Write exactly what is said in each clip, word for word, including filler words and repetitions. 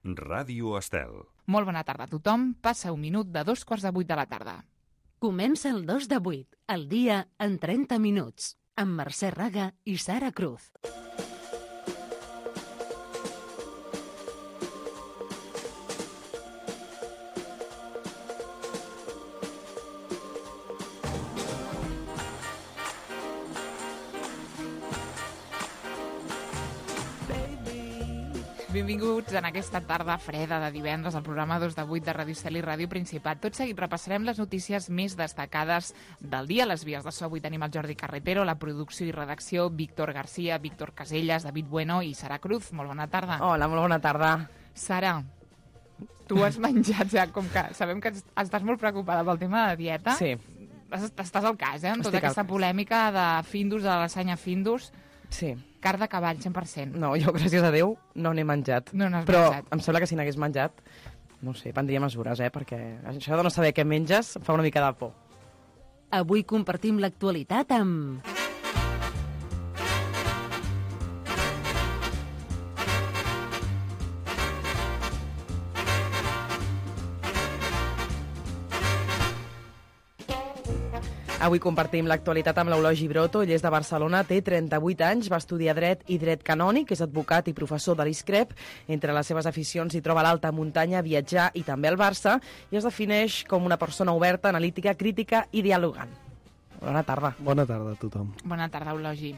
Ràdio Estel. Molt bona tarda a tothom. Passa un minut de dos quarts de vuit de la tarda. Comença el dos de vuit, el dia en trenta minuts, amb Mercè Raga i Sara Cruz. Benvinguts en aquesta tarda freda de divendres al programa dos de vuit de Ràdio Estel i Ràdio Principat. Tot seguit repassarem les notícies més destacades del dia. A les vies de so avui tenim el Jordi Carretero, la producció i redacció, Víctor Garcia, Víctor Casellas, David Bueno i Sara Cruz. Molt bona tarda. Hola, molt bona tarda. Sara, tu has menjat ja, com que sabem que estàs molt preocupada pel tema de dieta. Sí. Estàs al cas, eh, amb tota Estic al aquesta cas. polèmica de Findus, de la lasanya Findus. Sí. Carn de cavall, cent per cent. No, jo, gràcies a Déu, no n'he menjat. No n'has Però menjat. em sembla que si n'hagués menjat, no ho sé, prendria mesures, eh? Perquè això de no saber què menges fa una mica de por. Avui compartim l'actualitat amb... Avui compartim l'actualitat amb l'Eulogi Broto. Ell és de Barcelona, té trenta-vuit anys, va estudiar dret i dret canònic, és advocat i professor de l'ISCREP. Entre les seves aficions hi troba l'alta muntanya, viatjar i també el Barça, i es defineix com una persona oberta, analítica, crítica i dialogant. Bona tarda. Bona tarda a tothom. Bona tarda, Eulogi.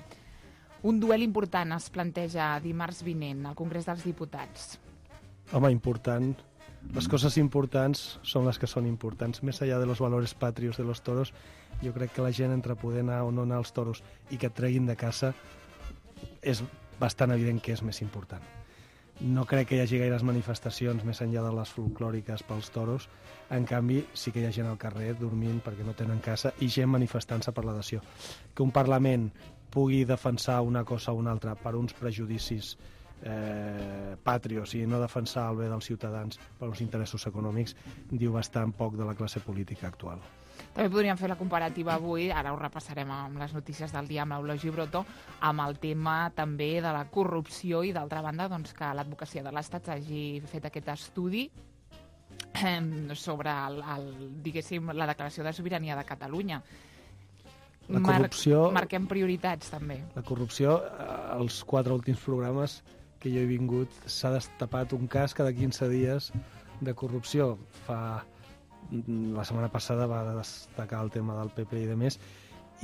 Un duel important es planteja dimarts vinent al Congrés dels Diputats. Home, important. Les coses importants són les que són importants. Més allà de los valores patrios de los toros, jo crec que la gent, entre poder anar o no anar als toros i que et treguin de casa, és bastant evident que és més important. No crec que hi hagi gaires manifestacions més enllà de les folclòriques pels toros. En canvi, sí que hi ha gent al carrer dormint perquè no tenen casa i gent manifestant-se per l'adhesió. Que un Parlament pugui defensar una cosa o una altra per uns prejudicis eh, patrios i no defensar el bé dels ciutadans per uns interessos econòmics diu bastant poc de la classe política actual. També podríem fer la comparativa avui, ara ho repassarem amb les notícies del dia amb l'Eulogi Broto, amb el tema també de la corrupció i d'altra banda doncs, que l'advocacia de l'Estat hagi fet aquest estudi eh, sobre el, el, diguéssim, la declaració de sobirania de Catalunya. La corrupció... Mar marquem prioritats també. La corrupció, als quatre últims programes que jo he vingut, s'ha destapat un cas cada quinze dies de corrupció. Fa... La setmana passada va destacar el tema del P P i de més,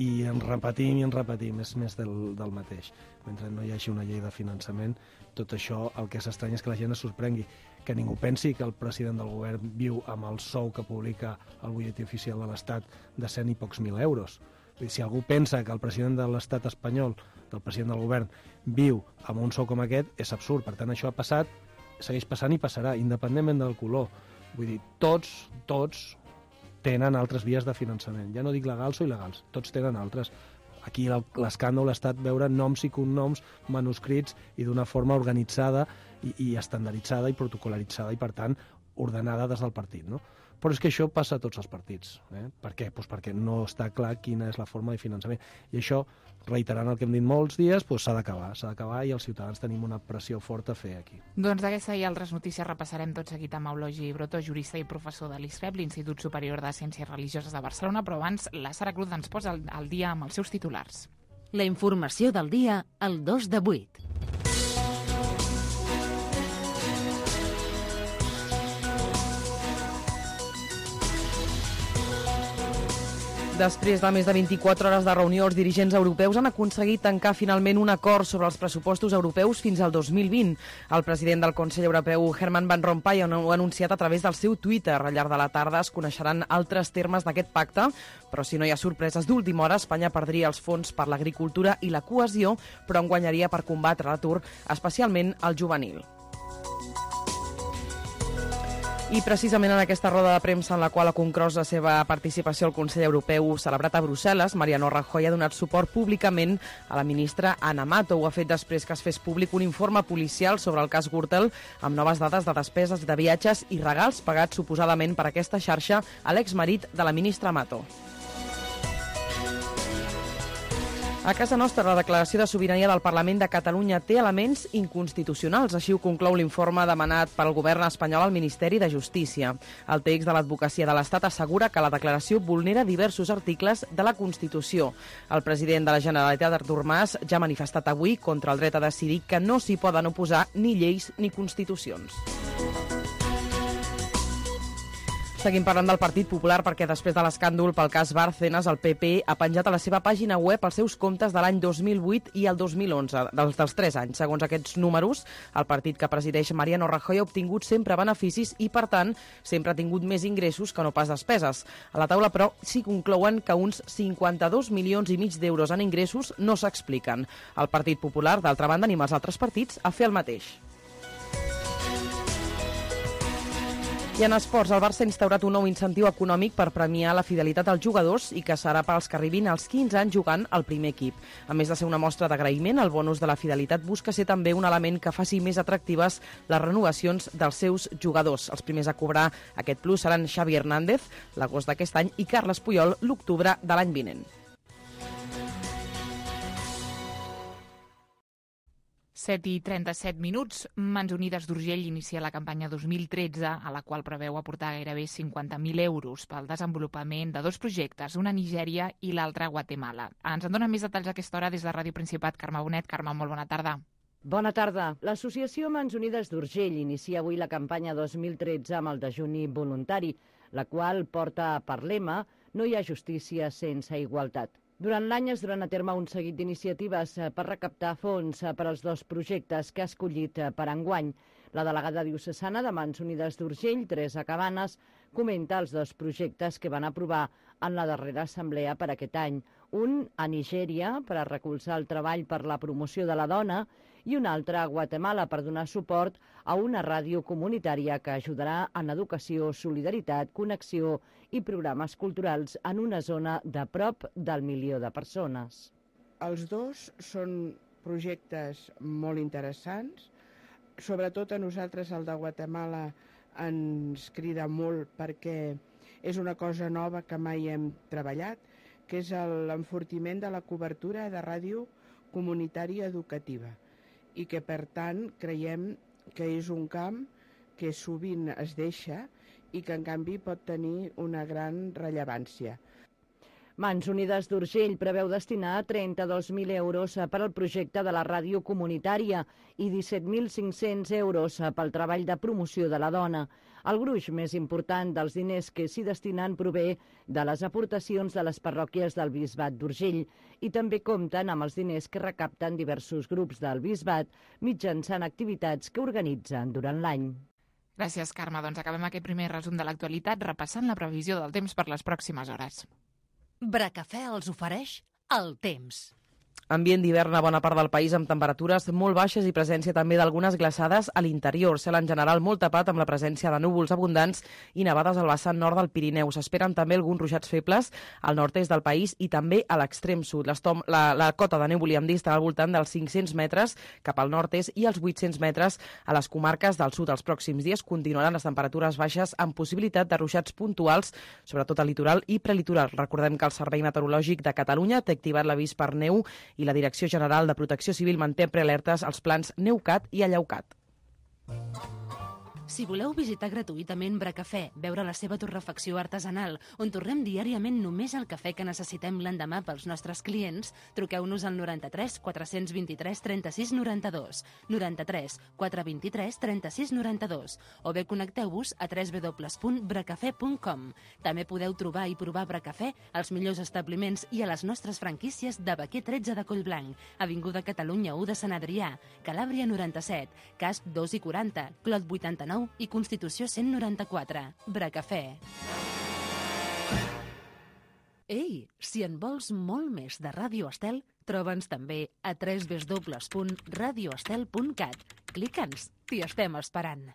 i en repetim i en repetim, és més del, del mateix. Mentre no hi hagi una llei de finançament, tot això, el que s'estranya és que la gent es sorprengui, que ningú pensi que el president del govern viu amb el sou que publica el butlletí oficial de l'Estat de cent i pocs mil euros. Vull dir, si algú pensa que el president de l'Estat espanyol, del president del govern, viu amb un sou com aquest, és absurd. Per tant, això ha passat, segueix passant i passarà, independentment del color. Vull dir, tots, tots tenen altres vies de finançament. Ja no dic legals o il·legals, tots tenen altres. Aquí l'escàndol ha estat veure noms i cognoms manuscrits i d'una forma organitzada i, i estandarditzada i protocolaritzada i, per tant, ordenada des del partit, no? Però és que això passa a tots els partits. Eh? Per què? Pues perquè no està clar quina és la forma de finançament. I això, reiterant el que hem dit molts dies, pues s'ha d'acabar. S'ha d'acabar i els ciutadans tenim una pressió forta a fer aquí. Doncs d'aquesta i altres notícies repassarem tot seguit amb Eulogi Broto, jurista i professor de l'ISCREP, l'Institut Superior de Ciències Religioses de Barcelona, però abans la Sara Cruz ens posa al, al dia amb els seus titulars. La informació del dia al dos de vuit. Després de més de vint-i-quatre hores de reunió, els dirigents europeus han aconseguit tancar finalment un acord sobre els pressupostos europeus fins al dos mil vint. El president del Consell Europeu, Herman Van Rompuy, ho ha anunciat a través del seu Twitter. Al llarg de la tarda es coneixeran altres termes d'aquest pacte, però si no hi ha sorpreses d'última hora, Espanya perdria els fons per l'agricultura i la cohesió, però en guanyaria per combatre l'atur, especialment el juvenil. I precisament en aquesta roda de premsa en la qual ha conclòs la seva participació al Consell Europeu celebrat a Brussel·les, Mariano Rajoy ha donat suport públicament a la ministra Ana Mato. Ho ha fet després que es fes públic un informe policial sobre el cas Gürtel amb noves dades de despeses de viatges i regals pagats suposadament per aquesta xarxa a l'exmarit de la ministra Mato. A casa nostra, la declaració de sobirania del Parlament de Catalunya té elements inconstitucionals. Així ho conclou l'informe demanat pel govern espanyol al Ministeri de Justícia. El text de l'Advocacia de l'Estat assegura que la declaració vulnera diversos articles de la Constitució. El president de la Generalitat, Artur Mas, ja ha manifestat avui contra el dret a decidir que no s'hi poden oposar ni lleis ni constitucions. Seguim parlant del Partit Popular perquè després de l'escàndol pel cas Bárcenas, el P P ha penjat a la seva pàgina web els seus comptes de l'any dos mil vuit i el dos mil onze, dels, dels tres anys. Segons aquests números, el partit que presideix Mariano Rajoy ha obtingut sempre beneficis i, per tant, sempre ha tingut més ingressos que no pas despeses. A la taula, però, sí conclouen que uns cinquanta-dos milions i mig d'euros en ingressos no s'expliquen. El Partit Popular, d'altra banda, anima els altres partits a fer el mateix. I en esports, el Barça ha instaurat un nou incentiu econòmic per premiar la fidelitat als jugadors i que serà pels que arribin als quinze anys jugant al primer equip. A més de ser una mostra d'agraïment, el bonus de la fidelitat busca ser també un element que faci més atractives les renovacions dels seus jugadors. Els primers a cobrar aquest plus seran Xavi Hernández, l'agost d'aquest any, i Carles Puyol, l'octubre de l'any vinent. set i trenta-set minuts. Mans Unides d'Urgell inicia la campanya dos mil tretze, a la qual preveu aportar gairebé cinquanta mil euros pel desenvolupament de dos projectes, una a Nigèria i l'altra a Guatemala. Ens en dona més detalls a aquesta hora des de Ràdio Principat. Carme Bonet. Carme, molt bona tarda. Bona tarda. L'associació Mans Unides d'Urgell inicia avui la campanya dos mil tretze amb el dejuni voluntari, la qual porta per lema «No hi ha justícia sense igualtat». Durant l'any es duran a terme un seguit d'iniciatives per recaptar fons per als dos projectes que ha escollit per enguany. La delegada diocesana de Mans Unides d'Urgell, Teresa Cabanes, comenta els dos projectes que van aprovar en la darrera assemblea per aquest any. Un a Nigèria, per a recolzar el treball per la promoció de la dona, i un altre a Guatemala per donar suport a una ràdio comunitària que ajudarà en educació, solidaritat, connexió i programes culturals en una zona de prop del milió de persones. Els dos són projectes molt interessants. Sobretot a nosaltres el de Guatemala ens crida molt perquè és una cosa nova que mai hem treballat, que és l'enfortiment de la cobertura de ràdio comunitària educativa i que, per tant, creiem que és un camp que sovint es deixa i que, en canvi, pot tenir una gran rellevància. Mans Unides d'Urgell preveu destinar trenta-dos mil euros per al projecte de la ràdio comunitària i disset mil cinc-cents euros pel treball de promoció de la dona. El gruix més important dels diners que s'hi destinen prové de les aportacions de les parròquies del Bisbat d'Urgell i també compten amb els diners que recapten diversos grups del Bisbat mitjançant activitats que organitzen durant l'any. Gràcies, Carme. Doncs acabem aquest primer resum de l'actualitat repassant la previsió del temps per les pròximes hores. Bracafè els ofereix el temps. Ambient d'hivern a bona part del país amb temperatures molt baixes i presència també d'algunes glaçades a l'interior. Cel en general molt tapat amb la presència de núvols abundants i nevades al vessant nord del Pirineu. S'esperen també alguns ruixats febles al nord-est del país i també a l'extrem sud. La, la cota de neu, volíem dir, estarà al voltant dels cinc-cents metres cap al nord-est i els vuit-cents metres a les comarques del sud. Els pròxims dies continuaran les temperatures baixes amb possibilitat de ruixats puntuals, sobretot al litoral i prelitoral. Recordem que el Servei Meteorològic de Catalunya té activat l'avís per neu i la Direcció General de Protecció Civil manté prealertes als plans Neucat i Allaucat. Si voleu visitar gratuïtament Bracafè, veure la seva torrefacció artesanal, on torrem diàriament només el cafè que necessitem l'endemà pels nostres clients, truqueu-nos al noranta-tres quatre-cents vint-i-tres trenta-sis noranta-dos, noranta-tres quatre vint-i-tres trenta-sis noranta-dos, o bé connecteu-vos a w w w punt bracafè punt com. També podeu trobar i provar Bracafè als millors establiments i a les nostres franquícies de Baquer tretze de Collblanc, Avinguda Catalunya u de Sant Adrià, Calàbria noranta-set, Casp dos i quaranta, Clot vuitanta-nou i Constitució cent noranta-quatre. Bracafè. Ei, si en vols molt més de Ràdio Estel, troba'ns també a w w w punt radio estel punt cat. Clica'ns, t'hi estem esperant.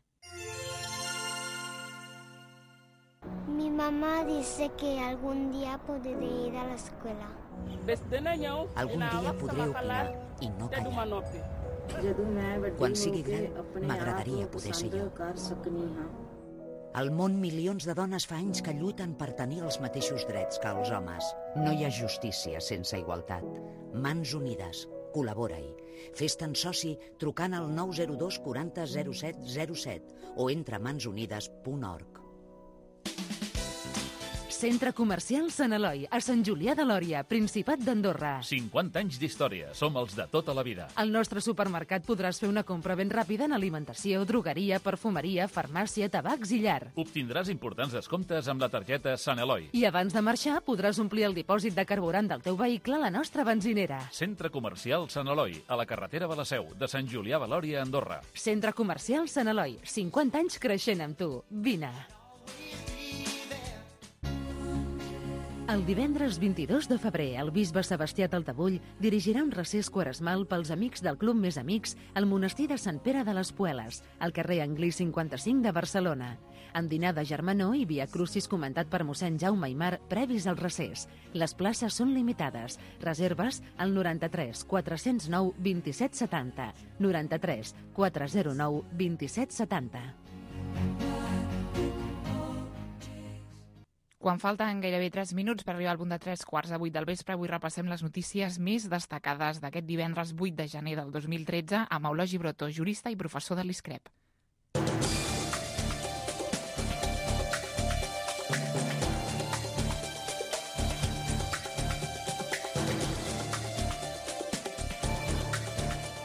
Mi mamá dice que algún día podré ir a la escuela. Algun dia podré opinar i no callar. Quan sigui gran, m'agradaria poder ser jo. Al món, milions de dones fa anys que lluiten per tenir els mateixos drets que els homes. No hi ha justícia sense igualtat. Mans Unides. Col·labora-hi. Fes-te'n soci trucant al nou zero dos quaranta zero set zero set o entra a mans unides punt org. Centre Comercial Sant Eloi, a Sant Julià de Lòria, Principat d'Andorra. cinquanta anys d'història, som els de tota la vida. Al nostre supermercat podràs fer una compra ben ràpida en alimentació, drogueria, perfumeria, farmàcia, tabacs i llar. Obtindràs importants descomptes amb la targeta Sant Eloi. I abans de marxar podràs omplir el dipòsit de carburant del teu vehicle a la nostra benzinera. Centre Comercial Sant Eloi, a la carretera de la Seu, de Sant Julià de Lòria, Andorra. Centre Comercial Sant Eloi, cinquanta anys creixent amb tu. Vine. El divendres vint-i-dos de febrer, el bisbe Sebastià Taltabull dirigirà un recés quaresmal pels amics del Club Més Amics al monestir de Sant Pere de les Pueles, al carrer Anglí cinquanta-cinc de Barcelona. Amb dinar de germanor i via crucis comentat per mossèn Jaume Aimar previs al recés. Les places són limitades. Reserves al noranta-tres quatre zero nou vint-i-set setanta. noranta-tres quatre zero nou vint-i-set setanta. Quan falten gairebé tres minuts per arribar al punt de tres quarts de vuit del vespre, avui repassem les notícies més destacades d'aquest divendres vuit de gener del dos mil tretze amb Eulogi Brotó, jurista i professor de l'I S C R E P.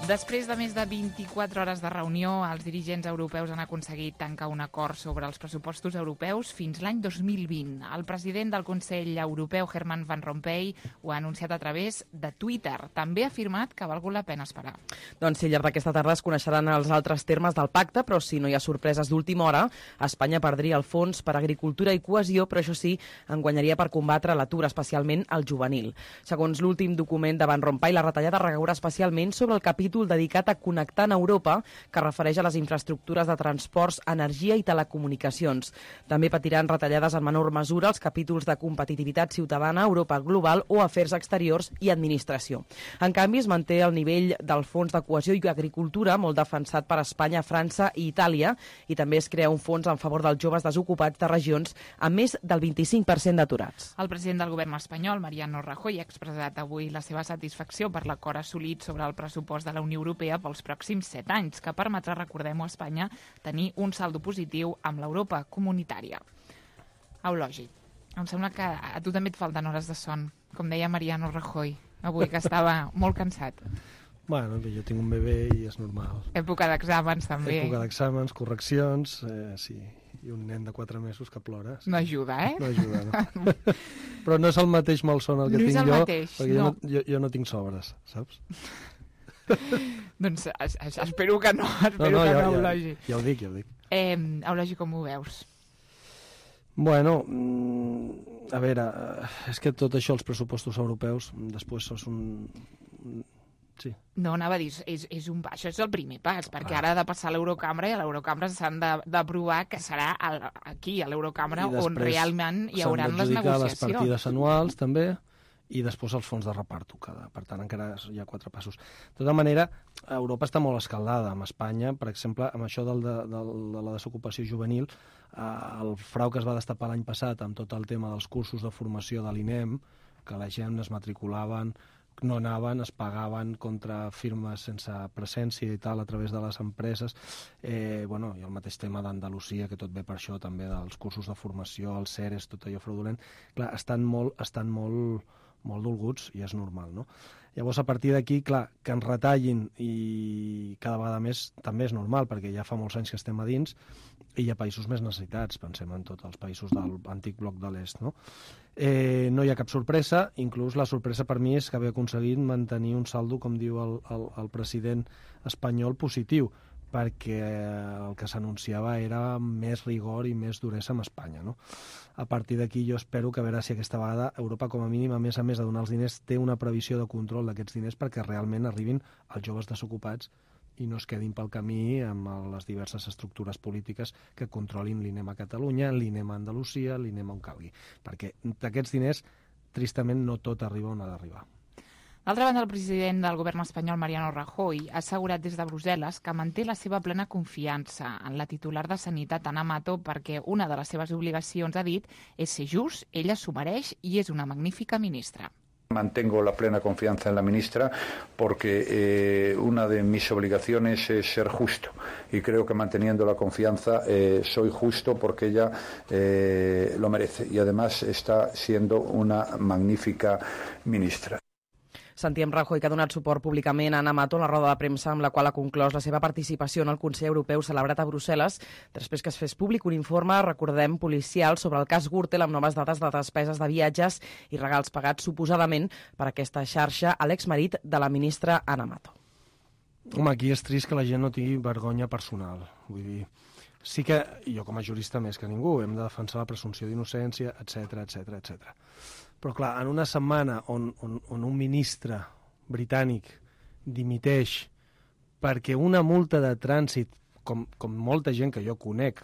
Després de més de vint-i-quatre hores de reunió, els dirigents europeus han aconseguit tancar un acord sobre els pressupostos europeus fins l'any dos mil vint. El president del Consell Europeu, Herman Van Rompuy, ho ha anunciat a través de Twitter. També ha afirmat que ha valgut la pena esperar. Doncs sí, al llarg d'aquesta tarda es coneixeran els altres termes del pacte, però si no hi ha sorpreses d'última hora, Espanya perdria el fons per agricultura i cohesió, però això sí, en guanyaria per combatre l'atur, especialment el juvenil. Segons l'últim document de Van Rompuy, la retallada recaurà especialment sobre el capítol dedicat a connectar en Europa, que refereix a les infraestructures de transports, energia i telecomunicacions. També patiran retallades en menor mesura els capítols de competitivitat ciutadana, Europa global o afers exteriors i administració. En canvi, es manté el nivell del fons de cohesió i agricultura, molt defensat per Espanya, França i Itàlia, i també es crea un fons en favor dels joves desocupats de regions amb més del vint-i-cinc per cent d'aturats. El president del govern espanyol, Mariano Rajoy, ha expressat avui la seva satisfacció per l'acord assolit sobre el pressupost de la Unió Europea pels pròxims set anys, que permetrà, recordem-ho, a Espanya tenir un saldo positiu amb l'Europa comunitària. Eulogi, em sembla que a tu també et falten hores de son, com deia Mariano Rajoy, avui, que estava molt cansat. Bueno, jo tinc un bebè i és normal. Època d'exàmens, també. Època d'exàmens, correccions, eh, sí, i un nen de quatre mesos que plora. Sí. No ajuda, eh? No ajuda, no. Però no és el mateix malson el que no tinc és el jo, mateix, perquè no. jo, no, jo, jo no tinc sobres, saps? Doncs es, es, espero que no, espero no, no, que ja, no, ja, Eulogi. Ja ho dic, ja ho dic. Eh, Eulogi, com ho veus? Bueno, mm, a veure, és que tot això, els pressupostos europeus, després és un... Sí. No, anava a dir, és, és un, això és el primer pas, perquè ah. ara ha de passar a l'Eurocambra i a l'Eurocambra s'han d'aprovar que serà el, aquí, a l'Eurocambra, on realment hi haurà les negociacions. Les partides anuals, també, i després els fons de reparto. Cada, per tant, encara hi ha quatre passos. De tota manera, Europa està molt escaldada. Amb Espanya, per exemple, amb això del, de, del, de la desocupació juvenil, eh, el frau que es va destapar l'any passat amb tot el tema dels cursos de formació de l'I N E M, que la gent es matriculaven, no anaven, es pagaven contra firmes sense presència i tal a través de les empreses. Eh, bueno, i el mateix tema d'Andalusia, que tot ve per això també, dels cursos de formació, els C E R E S, tot allò fraudulent. Clar, estan molt, estan molt, molt dolguts i és normal, no? Llavors, a partir d'aquí, clar, que ens retallin i cada vegada més també és normal, perquè ja fa molts anys que estem a dins i hi ha països més necessitats, pensem en tots els països de l'antic bloc de l'est, no? Eh, no hi ha cap sorpresa, inclús la sorpresa per mi és que haver aconseguit mantenir un saldo, com diu el, el, el president espanyol, positiu, perquè el que s'anunciava era més rigor i més duresa amb Espanya, no? A partir d'aquí jo espero que a veure si aquesta vegada Europa, com a mínim, a més a més de donar els diners, té una previsió de control d'aquests diners perquè realment arribin als joves desocupats i no es quedin pel camí amb les diverses estructures polítiques que controlin l'I N E M a Catalunya, l'I N E M a Andalusia, l'I N E M on calgui. Perquè d'aquests diners, tristament, no tot arriba on ha d'arribar. D'altra banda, el president del govern espanyol, Mariano Rajoy, ha assegurat des de Brussel·les que manté la seva plena confiança en la titular de Sanitat, Ana Mato, perquè una de les seves obligacions, ha dit, és ser just, ella s'ho mereix i és una magnífica ministra. Mantengo la plena confianza en la ministra porque eh, una de mis obligaciones es ser justo y creo que manteniendo la confianza eh, soy justo porque ella eh, lo merece y además está siendo una magnífica ministra. Sentíem Rajoy, que ha donat suport públicament a Ana Mato en la roda de premsa amb la qual ha conclòs la seva participació en el Consell Europeu celebrat a Brussel·les després que es fes públic un informe, recordem, policial sobre el cas Gürtel amb noves dades de despeses de viatges i regals pagats suposadament per aquesta xarxa a l'exmarit de la ministra Ana Mato. Home, aquí és trist que la gent no tingui vergonya personal. Vull dir, sí que jo com a jurista més que ningú hem de defensar la presumpció d'innocència, etcètera, etcètera, etcètera. Però clar, en una setmana on, on, on un ministre britànic dimiteix perquè una multa de trànsit, com, com molta gent que jo conec,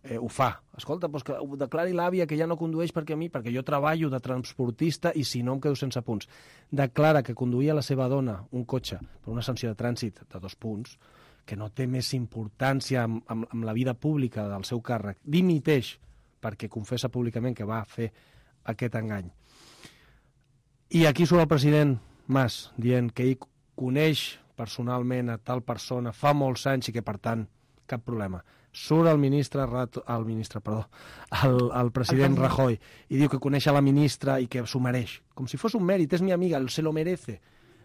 eh, ho fa. Escolta, doncs que ho declari l'àvia que ja no condueix perquè a mi, perquè jo treballo de transportista i si no em quedo sense punts. Declara que conduïa la seva dona un cotxe per una sanció de trànsit de dos punts, que no té més importància amb, amb, amb la vida pública del seu càrrec. Dimiteix perquè confessa públicament que va fer aquest engany. I aquí surt el president Mas dient que ell coneix personalment a tal persona fa molts anys i que, per tant, cap problema. Surt el ministre, el ministre, perdó, el, el president Rajoy i diu que coneix a la ministra i que s'ho mereix. Com si fos un mèrit, és mi amiga, se lo merece.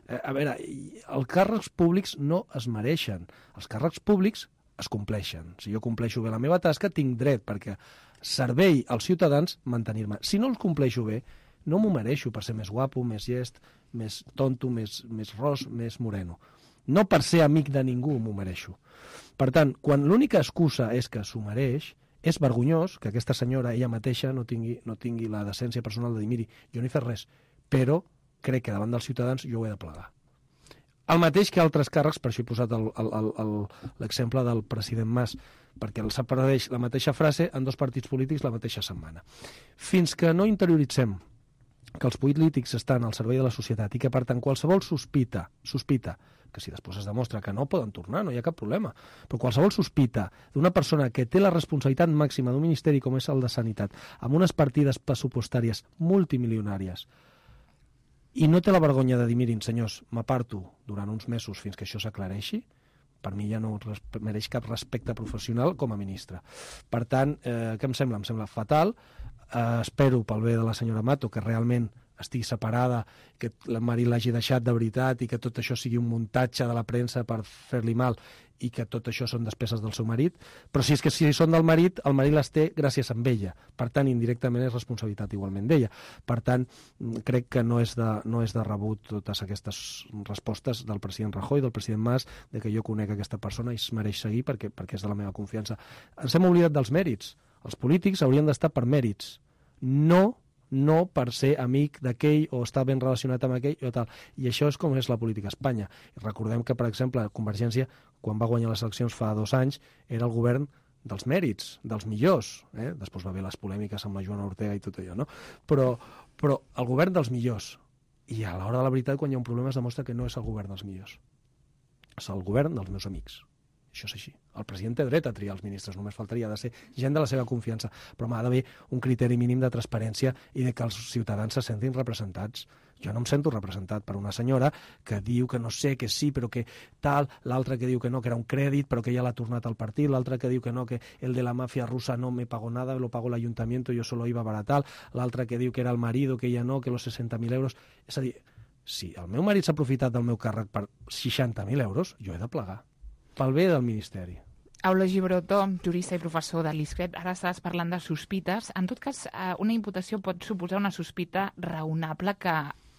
Eh, a veure, els càrrecs públics no es mereixen. Els càrrecs públics es compleixen. Si jo compleixo bé la meva tasca, tinc dret perquè servei als ciutadans mantenir-me. Si no els compleixo bé, no m'ho mereixo per ser més guapo, més llest, més tonto, més, més ros, més moreno. No per ser amic de ningú m'ho mereixo. Per tant, quan l'única excusa és que s'ho mereix, és vergonyós que aquesta senyora, ella mateixa, no tingui, no tingui la decència personal de dir, miri, jo no he fet res, però crec que davant dels ciutadans jo ho he de plegar. El mateix que altres càrrecs, per això he posat l'exemple del president Mas, perquè els apareix la mateixa frase en dos partits polítics la mateixa setmana. Fins que no interioritzem que els polítics estan al servei de la societat i que, per tant, qualsevol sospita, sospita, que si després es demostra que no poden tornar, no hi ha cap problema, però qualsevol sospita d'una persona que té la responsabilitat màxima d'un ministeri com és el de Sanitat, amb unes partides pressupostàries multimilionàries, i no té la vergonya de dir, mirin, senyors, m'aparto durant uns mesos fins que això s'aclareixi, per mi ja no mereix cap respecte professional com a ministre. Per tant, eh, què em sembla? Em sembla fatal. Eh, espero, pel bé de la senyora Mato, que realment estigui separada, que el marit l'hagi deixat de veritat i que tot això sigui un muntatge de la premsa per fer-li mal i que tot això són despeses del seu marit, però si és que si són del marit, el marit les té gràcies a ella. Per tant, indirectament és responsabilitat igualment d'ella. Per tant, crec que no és de, no és de rebut totes aquestes respostes del president Rajoy, del president Mas, de que jo conec aquesta persona i es mereix seguir perquè, perquè és de la meva confiança. Ens hem oblidat dels mèrits. Els polítics haurien d'estar per mèrits, no no per ser amic d'aquell o estar ben relacionat amb aquell o tal. I això és com és la política a Espanya. I recordem que, per exemple, Convergència, quan va guanyar les eleccions fa dos anys, era el govern dels mèrits, dels millors. Eh? Després va haver les polèmiques amb la Joana Ortega i tot allò, no? Però, però el govern dels millors. I a l'hora de la veritat, quan hi ha un problema, es demostra que no és el govern dels millors. És el govern dels meus amics. Això és així. El president té dret a triar els ministres, només faltaria de ser gent de la seva confiança, però m'ha d'haver un criteri mínim de transparència i de que els ciutadans se sentin representats. Jo no em sento representat per una senyora que diu que no sé, que sí, però que tal, l'altra que diu que no, que era un crèdit, però que ja l'ha tornat al partit, l'altra que diu que no, que el de la mafia rusa no me pagó nada, lo pagó el ayuntamiento, yo solo iba a baratar, l'altra que diu que era el marido, que ella no, que los seixanta mil euros... És a dir, si el meu marit s'ha aprofitat del meu càrrec per seixanta mil euros, jo he de plegar. Pel bé del Ministeri. Eulogi Brotó, jurista i professor de l'I S C R E T, ara estàs parlant de sospites. En tot cas, una imputació pot suposar una sospita raonable que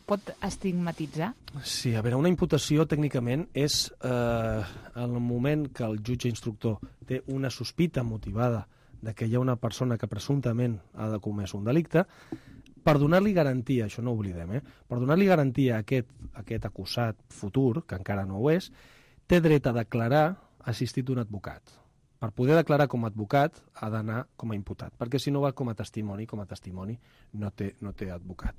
pot estigmatitzar? Sí, a veure, una imputació tècnicament és eh, el moment que el jutge instructor té una sospita motivada de que hi ha una persona que presumptament ha de comès un delicte, per donar-li garantia, això no ho oblidem, eh? per donar-li garantia a aquest, a aquest acusat futur, que encara no ho és, té dret a declarar assistit d'un advocat. Per poder declarar com a advocat ha d'anar com a imputat, perquè si no va com a testimoni, com a testimoni no té, no té advocat.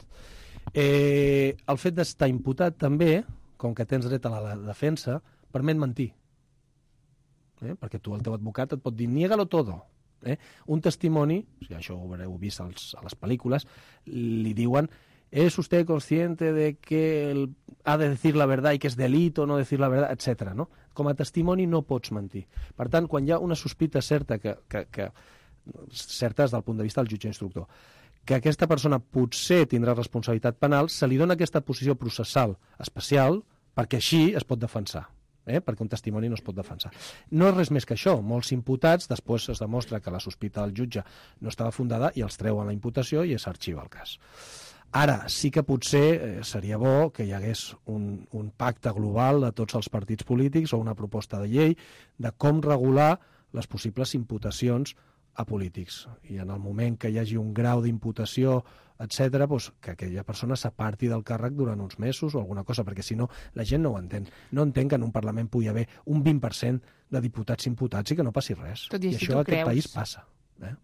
Eh, el fet d'estar imputat també, com que tens dret a la defensa, permet mentir. Eh? Perquè tu, el teu advocat, et pot dir niégalo todo. Eh? Un testimoni, si això ho haureu vist als, a les pel·lícules, li diuen ¿es usted consciente de que el, ha de decir la verdad i que és delito no decir la verdad, etcètera. No? Com a testimoni no pots mentir. Per tant, quan hi ha una sospita certa, que, que, que, certa des del punt de vista del jutge instructor, que aquesta persona potser tindrà responsabilitat penal, se li dona aquesta posició processal especial perquè així es pot defensar. Eh? Perquè un testimoni no es pot defensar. No és res més que això. Molts imputats, després es demostra que la sospita del jutge no estava fundada i els treuen la imputació i s'arxiva el cas. Ara, sí que potser eh, seria bo que hi hagués un, un pacte global de tots els partits polítics o una proposta de llei de com regular les possibles imputacions a polítics. I en el moment que hi hagi un grau d'imputació, etcètera, doncs que aquella persona s'aparti del càrrec durant uns mesos o alguna cosa, perquè si no, la gent no ho entén. No entén que en un Parlament pugui haver un vint per cent de diputats imputats i que no passi res. Tot i, I això a aquest creus... país passa. Eh?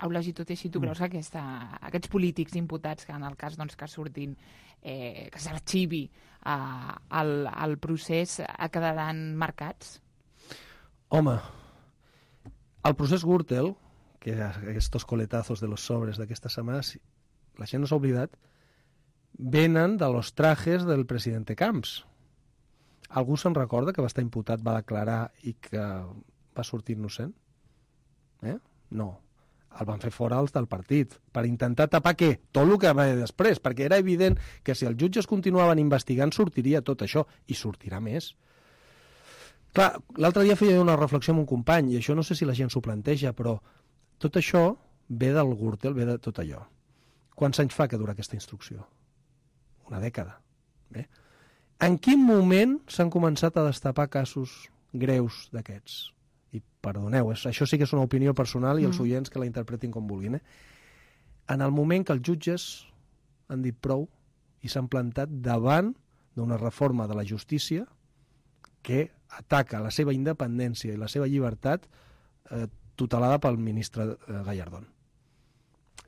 Eulagi, tot i així, tu creus que aquesta, aquests polítics imputats, que en el cas doncs, que surtin, eh, que s'arxivi eh, el, el procés, quedaran marcats? Home, el procés Gürtel, que aquests coletazos de los sobres d'aquesta setmana, la gent no s'ha oblidat, venen de los trajes del president Camps. Algú se'n recorda que va estar imputat, va declarar i que va sortir innocent? Eh? No. El van fer fora els del partit, per intentar tapar què? Tot el que va després, perquè era evident que si els jutges continuaven investigant sortiria tot això, i sortirà més. Clar, l'altre dia feia una reflexió amb un company, i això no sé si la gent s'ho planteja, però tot això ve del Gürtel, ve de tot allò. Quants anys fa que dura aquesta instrucció? Una dècada. Bé. En quin moment s'han començat a destapar casos greus d'aquests? I perdoneu, això sí que és una opinió personal i els oients que la interpretin com vulguin. Eh? En el moment que els jutges han dit prou i s'han plantat davant d'una reforma de la justícia que ataca la seva independència i la seva llibertat eh, tutelada pel ministre eh, Gallardón.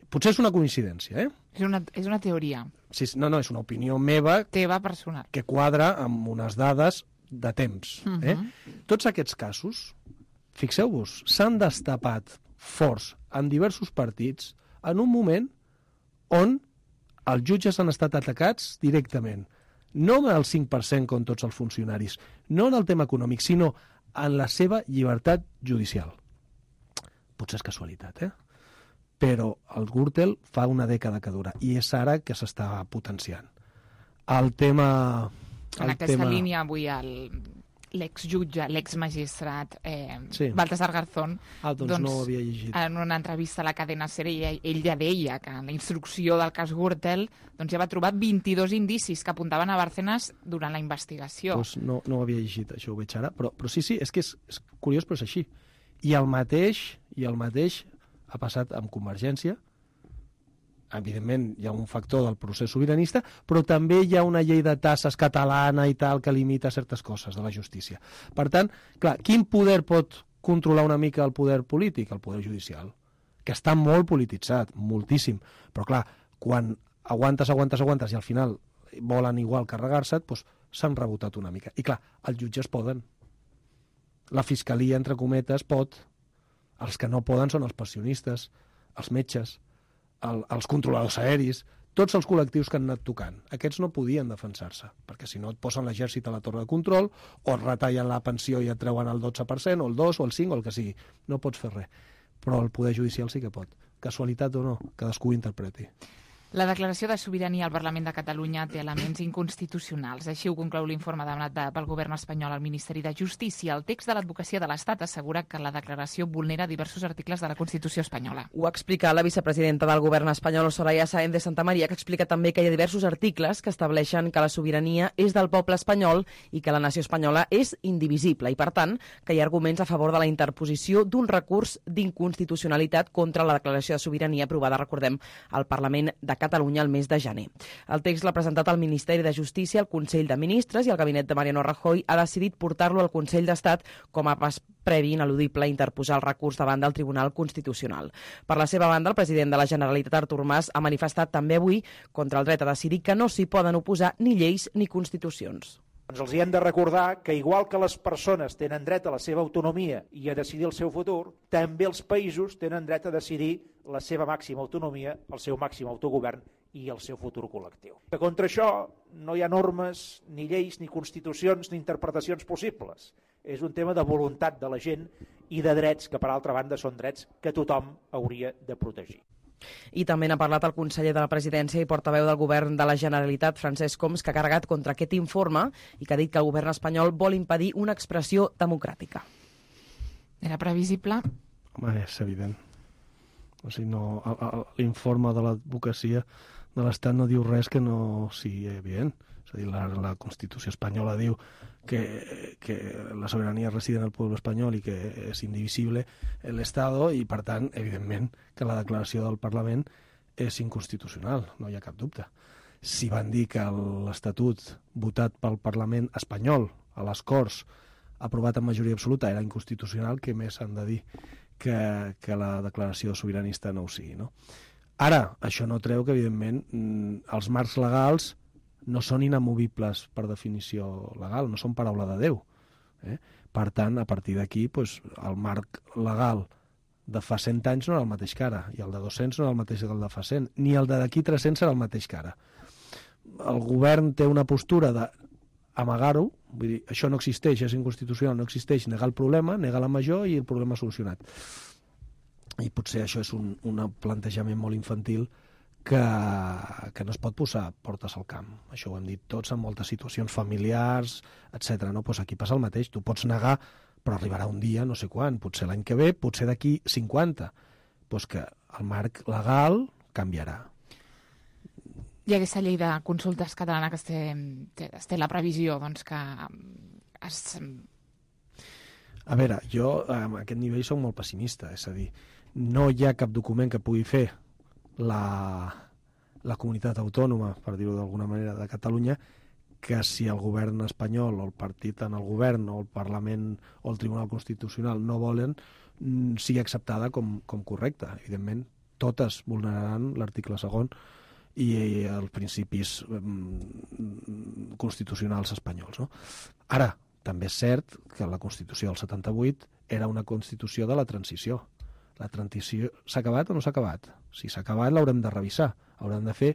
Potser és una coincidència, eh? És una, és una teoria. Sí, no, no, és una opinió meva... Teva personal. Que quadra amb unes dades de temps. Uh -huh. eh? Tots aquests casos, fixeu-vos, s'han destapat forts en diversos partits en un moment on els jutges han estat atacats directament. No en el cinc per cent com tots els funcionaris, no en el tema econòmic, sinó en la seva llibertat judicial. Potser és casualitat, eh? Però el Gürtel fa una dècada que dura i és ara que s'està potenciant. El tema... El en aquesta tema... línia avui el... l'exjutge, l'exmagistrat eh, sí. Baltasar Garzón ah, doncs, doncs no ho havia llegit. En una entrevista a la cadena SER ell, ell ja deia que en la instrucció del cas Gürtel doncs ja va trobar vint-i-dos indicis que apuntaven a Bárcenas durant la investigació. Doncs no, no ho havia llegit, això ho veig ara, però, però sí, sí, és que és, és curiós, però és així. I el mateix, i el mateix ha passat amb Convergència. Evidentment hi ha un factor del procés sobiranista, però també hi ha una llei de tasses catalana i tal que limita certes coses de la justícia. Per tant, clar, quin poder pot controlar una mica el poder polític? El poder judicial, que està molt polititzat, moltíssim. Però clar, quan aguantes, aguantes, aguantes i al final volen igual carregar-se't, doncs s'han rebotat una mica. I clar, els jutges poden. La fiscalia, entre cometes, pot. Els que no poden són els pensionistes, els metges, el, els controladors aeris, tots els col·lectius que han anat tocant. Aquests no podien defensar-se, perquè si no et posen l'exèrcit a la torre de control o et retallen la pensió i et treuen el dotze per cent o el dos o el cinc o el que sigui. No pots fer res. Però el poder judicial sí que pot. Casualitat o no, cadascú ho interpreti. La declaració de sobirania al Parlament de Catalunya té elements inconstitucionals. Així ho conclou l'informe demanat pel govern espanyol al Ministeri de Justícia. El text de l'advocacia de l'Estat assegura que la declaració vulnera diversos articles de la Constitució espanyola. Ho ha explicat la vicepresidenta del govern espanyol, Soraya Sáenz de Santamaría, que explica també que hi ha diversos articles que estableixen que la sobirania és del poble espanyol i que la nació espanyola és indivisible i, per tant, que hi ha arguments a favor de la interposició d'un recurs d'inconstitucionalitat contra la declaració de sobirania aprovada, recordem, al Parlament de Catalunya el mes de gener. El text l'ha presentat al Ministeri de Justícia, al Consell de Ministres, i el gabinet de Mariano Rajoy ha decidit portar-lo al Consell d'Estat com a pas previ ineludible a interposar el recurs davant del Tribunal Constitucional. Per la seva banda, el president de la Generalitat, Artur Mas, ha manifestat també avui contra el dret a decidir que no s'hi poden oposar ni lleis ni constitucions. Doncs els hi hem de recordar que igual que les persones tenen dret a la seva autonomia i a decidir el seu futur, també els països tenen dret a decidir la seva màxima autonomia, el seu màxim autogovern i el seu futur col·lectiu. Que contra això no hi ha normes, ni lleis, ni constitucions, ni interpretacions possibles. És un tema de voluntat de la gent i de drets que, per altra banda, són drets que tothom hauria de protegir. I també n'ha parlat el conseller de la Presidència i portaveu del govern de la Generalitat, Francesc Homs, que ha carregat contra aquest informe i que ha dit que el govern espanyol vol impedir una expressió democràtica. Era previsible? Home, és evident. O sigui, no, l'informe de l'advocacia de l'Estat no diu res que no sigui evident. És a dir, la, la Constitució espanyola diu que, que la sobirania reside en el pueblo espanyol i que és indivisible l'Estado i, per tant, evidentment, que la declaració del Parlament és inconstitucional, no hi ha cap dubte. Si van dir que l'Estatut votat pel Parlament espanyol a les Corts, aprovat en majoria absoluta, era inconstitucional, què més han de dir que, que la declaració sobiranista no ho sigui, no? Ara, això no treu que, evidentment, els marcs legals no són inamovibles per definició legal, no són paraula de Déu. Eh? Per tant, a partir d'aquí, doncs, el marc legal de fa cent anys no era el mateix que ara, i el de dos-cents no era el mateix que el de fa cent, ni el de d'aquí tres-cents serà el mateix que ara. El govern té una postura d'amagar-ho, vull dir, això no existeix, és inconstitucional, no existeix, negar el problema, negar la major i el problema solucionat. I potser això és un, un plantejament molt infantil que, que no es pot posar portes al camp. Això ho hem dit tots en moltes situacions familiars, etcètera. No? Pues aquí passa el mateix. Tu pots negar, però arribarà un dia, no sé quan, potser l'any que ve, potser d'aquí cinquanta. Pues que el marc legal canviarà. Hi ha aquesta llei de consultes catalana que es té, es té la previsió doncs, que es... A veure, jo a aquest nivell soc molt pessimista, és a dir, no hi ha cap document que pugui fer la, la comunitat autònoma, per dir-ho d'alguna manera, de Catalunya, que si el govern espanyol o el partit en el govern o el Parlament o el Tribunal Constitucional no volen, sigui acceptada com, com correcta. Evidentment, totes vulneraran l'article segon i els principis mm, constitucionals espanyols. No? Ara, també és cert que la Constitució del setanta-vuit era una Constitució de la transició. La transició s'ha acabat o no s'ha acabat? Si s'ha acabat l'haurem de revisar. Haurem de fer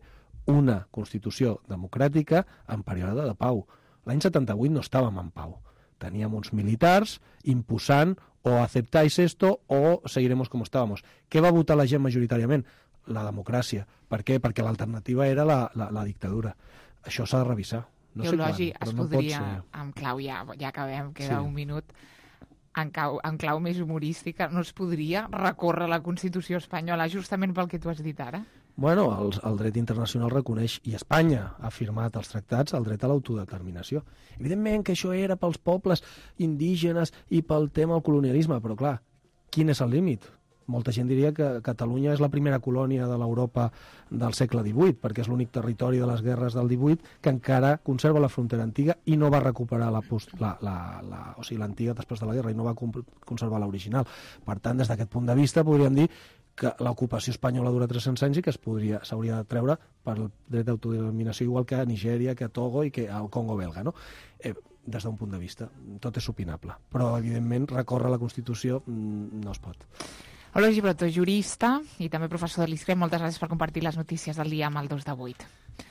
una Constitució democràtica en període de pau. L'any setanta-vuit no estàvem en pau. Teníem uns militars imposant o aceptáis esto o seguiremos como estábamos. Què va votar la gent majoritàriament? La democràcia. Per què? Perquè l'alternativa era la, la, la dictadura. Això s'ha de revisar. No sé quan, es no podria, en clau, ja, ja acabem, queda sí. un minut, en clau, en clau més humorística, no es podria recórrer la Constitució espanyola justament pel que tu has dit ara? Bueno, el, el dret internacional reconeix, i Espanya ha firmat els tractats, el dret a l'autodeterminació. Evidentment que això era pels pobles indígenes i pel tema del colonialisme, però clar, quin és el límit? Molta gent diria que Catalunya és la primera colònia de l'Europa del segle divuit, perquè és l'únic territori de les guerres del divuit que encara conserva la frontera antiga i no va recuperar la, la, la, la, o sigui, l'antiga després de la guerra i no va conservar l'original. Per tant, des d'aquest punt de vista, podríem dir que l'ocupació espanyola dura tres-cents anys i que es podria s'hauria de treure per el dret d'autodeterminació igual que a Nigèria, que a Togo i que al Congo belga, no? Eh, des d'un punt de vista. Tot és opinable. Però, evidentment, recórrer la Constitució no es pot. Hola, Gibrotto, jurista i també professor de l'I S C R E. Moltes gràcies per compartir les notícies del dia amb el dos de vuit.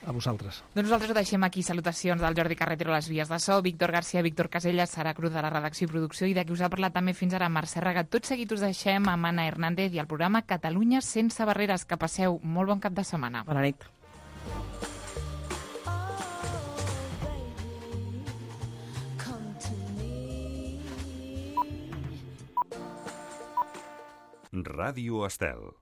A vosaltres. Doncs nosaltres ho deixem aquí. Salutacions del Jordi Carretero a les vies de so, Víctor García, Víctor Casellas, Sara Cruz de la redacció i producció i de qui us ha parlat també fins ara Mercè Raga. Tot seguit us deixem amb Anna Hernández i el programa Catalunya sense barreres. Que passeu molt bon cap de setmana. Bona nit. Ràdio Estel.